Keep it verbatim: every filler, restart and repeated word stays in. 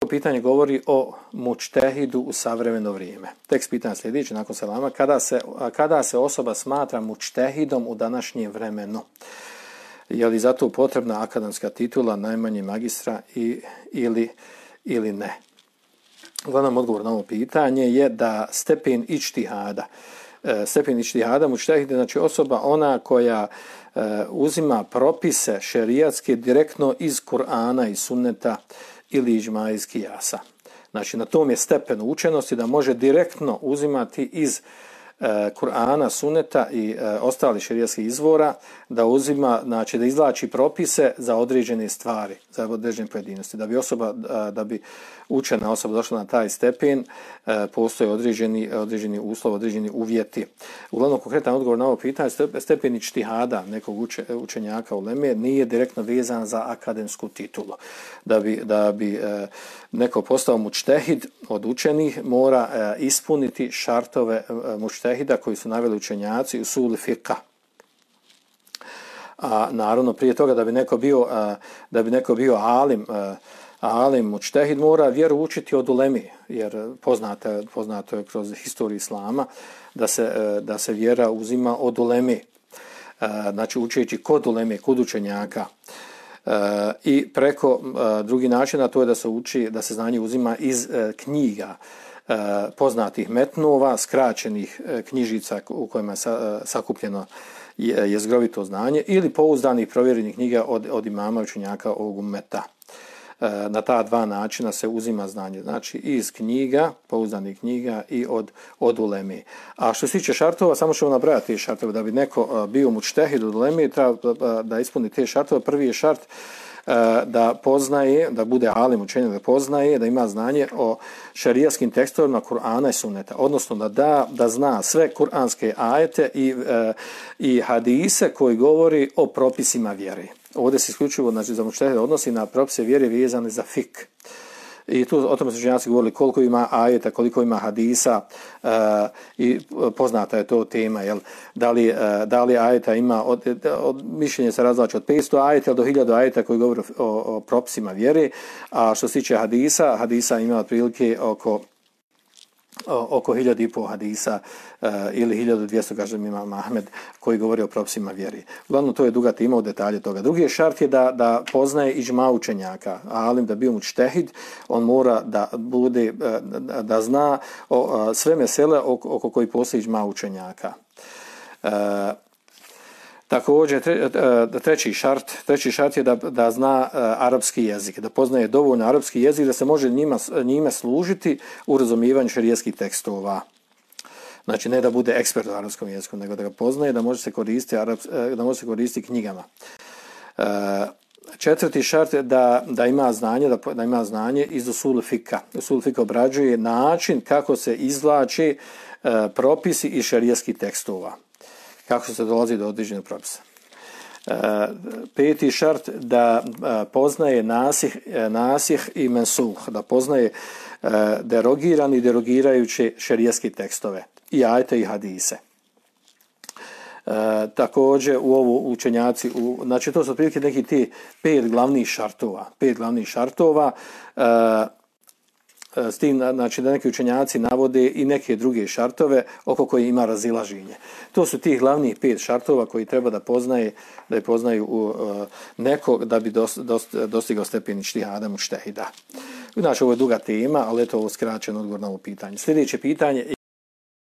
pitanje govori o mučtehidu u savremeno vrijeme. Tekst pitanja sljedeći nakon selama. Kada se, kada se osoba smatra mučtehidom u današnjem vremenu? Je li zato potrebna akademska titula, najmanje magistra i, ili, ili ne? Uglavnom odgovor na ovo pitanje je da stepen ičtihada, stepen ičtihada mučtehida, znači osoba ona koja uh, uzima propise šerijatske direktno iz Kur'ana i sunneta ili iđma iz kijasa. Znači na tom je stepen učenosti da može direktno uzimati iz uh, Kur'ana, sunneta i uh, ostali šerijatskih izvora, da uzima, znači da izvlači propise za određene stvari, za određene pojedinosti. Da bi osoba, uh, da bi učena osoba došla na taj stepen, uh, postoje određeni, određeni uslov, određeni uvjeti. Uglavnom konkretan odgovor na ovo pitanje, stepen ičtihada nekog uče, učenjaka u uleme nije direktno vezan za akademsku titulu. Da bi, da bi uh, neko postao mučtehid od učenih, mora uh, ispuniti šartove uh, mučtehida koji su naveli učenjaci u usul fiqha. A naravno prije toga da bi neko bio, uh, da bi neko bio alim, uh, alim mučtehid mora vjeru učiti od ulemi, jer poznato, poznato je kroz historiju islama da se, da se vjera uzima od ulemi, znači učeći kod ulemi, kod učenjaka. I preko drugi način, a to je da se uči, da se znanje uzima iz knjiga poznatih metnova, skraćenih knjižica u kojima je sakupljeno jezgrovito znanje ili pouzdanih provjerenih knjiga od, od imama učenjaka ovog ummeta. Na ta dva načina se uzima znanje, znači iz knjiga, pouzdanih knjiga i od, od uleme. A što se tiče šartova, samo ćemo nabrajati te šartove. Da bi neko bio mučtehid od uleme, treba da ispuni te šartove. Prvi je šart da poznaje, da bude alim učenje, da poznaje, da ima znanje o šerijaskim tekstovima Kur'ana i sunneta. Odnosno da, da, da zna sve kuranske ajete i, i hadise koji govori o propisima vjere. Ovdje se isključivo, znači, za mučtehida odnosi na propise vjere vezane za fik. I tu o tome su učenjaci govorili koliko ima ajeta, koliko ima hadisa uh, i poznata je to tema. Jel? Da, li, uh, da li ajeta ima, od, od, mišljenje se razlači od petsto ajeta do hiljadu ajeta koji govori o, o propisima vjere. A što se tiče hadisa, hadisa ima otprilike oko oko hiljadu i pol hadisa uh, ili hiljadu dvjesto, kažem imam Ahmed, koji govori o propisima vjeri. Uglavnom, to je duga tema u detalje toga. Drugi šart je da, da poznaje iđma učenjaka. Alim da bio mučtehid, on mora da bude, da, da zna o, sve mesele oko, oko koji postoji iđma učenjaka. Uh, Također, tre, treći šart, treći šart je da, da zna uh, arapski jezik, da poznaje dovoljno arapski jezik, da se može njima, njime služiti u razumijevanju šerijskih tekstova. Znači, ne da bude ekspert u arapskom jeziku, nego da ga poznaje, da može se koristiti, araps, da može se koristiti knjigama. Uh, četvrti šart je da, da ima znanje, da, da ima znanje iz usul fika. Usul fika obrađuje način kako se izvlači uh, propisi i šerijskih tekstova. Kako se dolazi do određenog propisa. E, peti šart da e, poznaje nasih, e, nasih i mensuh, da poznaje e, derogirani i derogirajuće šerijatske tekstove i ajete i hadise. E, također u ovo učenjaci, u, znači to su otprilike neki ti pet glavnih šartova, pet glavnih šartova, e, s tim, znači, da neki učenjaci navode i neke druge šartove oko koje ima razilaženje. To su tih glavnih pet šartova koji treba da poznaje, da je poznaju uh, neko da bi dost, dost, dostigao stepen ičtihada mučtehida. Znači, ovo je duga tema, ali eto ovo skraćen odgovor na ovo pitanje. Sljedeće pitanje